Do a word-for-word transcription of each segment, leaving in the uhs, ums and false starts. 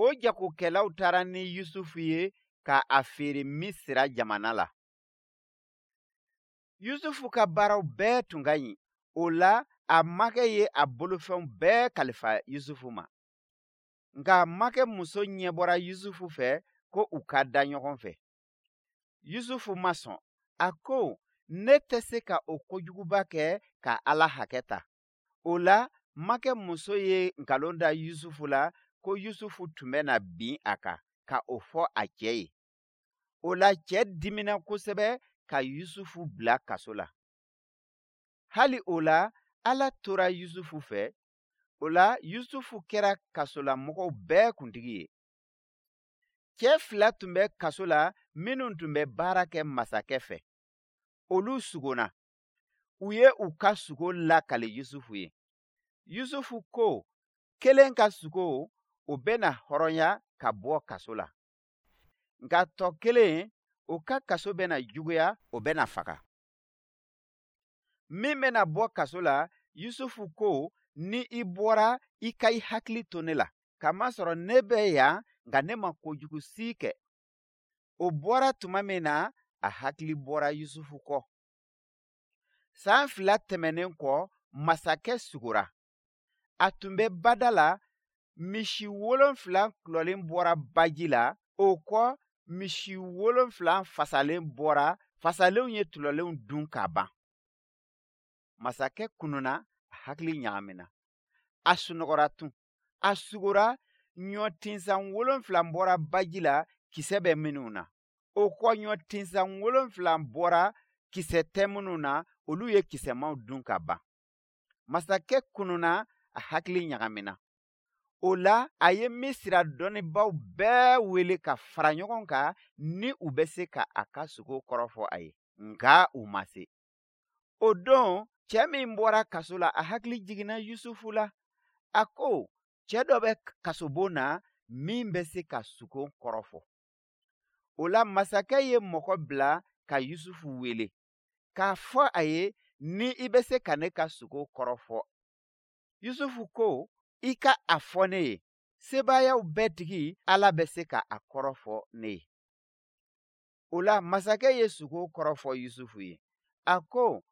O jagokɛlaw taara ni Yusufu ye ka a feere Misira jamana la. Yusufu ka baaraw bɛɛ tun ka ɲi. O la, a makɛ ye a bolofɛnw bɛɛ kalifa Yusufu ma. Nka makɛ muso ɲɛbɔra Yusufu fɛ ko u ka da ɲɔgɔn fɛ. Yusufu ma sɔn. A ko, ne tɛ se ka o kojuguba kɛ ka Ala hakɛ ta. O la, makɛ muso ye nkalon da Yusufu la ko Yusufu tun bɛna bin a kan ka o fɔ a cɛ ye. O la, cɛ dimina kosɛbɛ ka Yusufu bila kaso la. Hali o la, Ala tora Yusufu fɛ. O la, Yusufu kɛra kasolamɔgɔw bɛɛ kuntigi ye. Cɛ fila tun bɛ kaso la minnu tun bɛ baara kɛ masakɛ fɛ. Olu sugona. U ye u ka sugo lakali Yusufu ye. Yusufu ko, kelen ka sugo, o bɛna hɔrɔnya ka bɔ kaso la. Nka tɔ kelen, o ka kaso bɛna juguya, o bɛna faga. Min bɛna bɔ kaso la, Yusufu ko, ni i bɔra, i ka i hakili to ne la, kamasɔrɔ ne bɛ yan, nka ne ma kojugu si kɛ. O bɔra tuma min na, a hakili bɔra Yusufu kɔ. San fila tɛmɛnen kɔ, masakɛ sugora. A tun bɛ bada la, misi wolonfila tulɔlen bɔra baji la, o kɔ misi wolonfila fasalen bɔra, fasalenw ye tulɔlenw dun ka ban. Masakɛ kununa, a hakili ɲagamina. A sunɔgɔra tun. A sugora, ɲɔtinsan wolonfila bɔra baji la, kisɛ bɛ minnu na. O kɔ ɲɔtinsan wolonfila bɔra, kisɛ tɛ minnu na, olu ye kisɛmaw dun ka ban. Masakɛ kununa, a hakili ɲagamina. O la, a ye Misira dɔnnibaaw bɛɛ wele ka fara ɲɔgɔn kan ni u bɛ se ka a ka sugo kɔrɔ fɔ a ye. Nka u ma se. O don, cɛ min bɔra kaso la, a hakili jiginna Yusufu la. A ko, cɛ dɔ bɛ kasobon na min bɛ se ka sugo kɔrɔ fɔ. O la, masakɛ ye mɔgɔ bila ka Yusufu wele, k'a fɔ a ye ni i bɛ se ka ne ka sugo kɔrɔ fɔ. Yusufu ko, i ka a fɔ ne ye, sebaayaw bɛɛ tigi Ala bɛ se ka a kɔrɔ fɔ ne ye. O la, masakɛ ye sugo kɔrɔ fɔ Yusufu ye. A ko,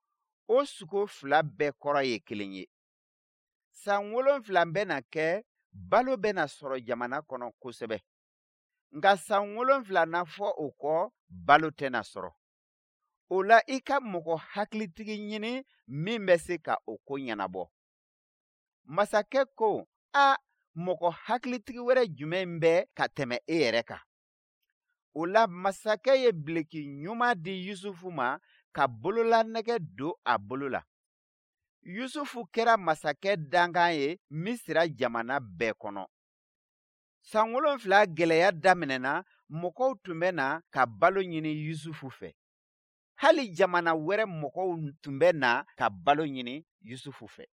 o sugo fila bɛɛ kɔrɔ ye kelen ye. San wolonfila bɛna kɛ, balo bɛna sɔrɔ jamana kɔnɔ kosɛbɛ. Nka san wolonfila na fɔ o kɔ, balo tɛna sɔrɔ. O la, i ka mɔgɔ hakilitigi ɲini min bɛ se ka o ko ɲɛnabɔ. Masakɛ ko, a mɔgɔ hakilitigi wɛrɛ jumɛn bɛ ka tɛmɛ e yɛrɛ kan? O la, masakɛ ye bileki ɲuman di Yusufu ma ka bololanɛgɛ don a bolo la. Yusufu kɛra masakɛ dankan ye Misira jamana bɛɛ kɔnɔ. San wolonfila gɛlɛya daminɛna, mɔgɔw tun bɛ na ka balo ɲini Yusufu fɛ. Hali jamana wɛrɛ mɔgɔw tun bɛ na ka balo ɲini Yusufu fɛ.